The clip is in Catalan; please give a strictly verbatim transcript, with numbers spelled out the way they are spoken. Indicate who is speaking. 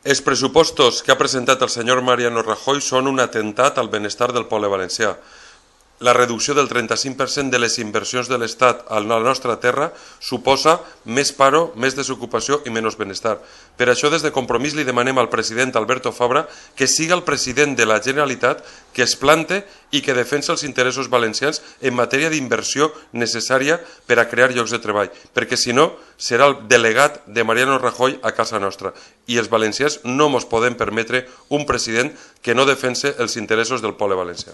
Speaker 1: Els pressupostos que ha presentat el senyor Mariano Rajoy són un atemptat al benestar del poble valencià. La reducció del trenta-cinc per cent de les inversions de l'Estat a la nostra terra suposa més paro, més desocupació i menys benestar. Per això, des de Compromís, li demanem al president Alberto Fabra que siga el president de la Generalitat que es plante i que defensa els interessos valencians en matèria d'inversió necessària per a crear llocs de treball, perquè si no serà el delegat de Mariano Rajoy a casa nostra i els valencians no ens podem permetre un president que no defensa els interessos del poble valencià.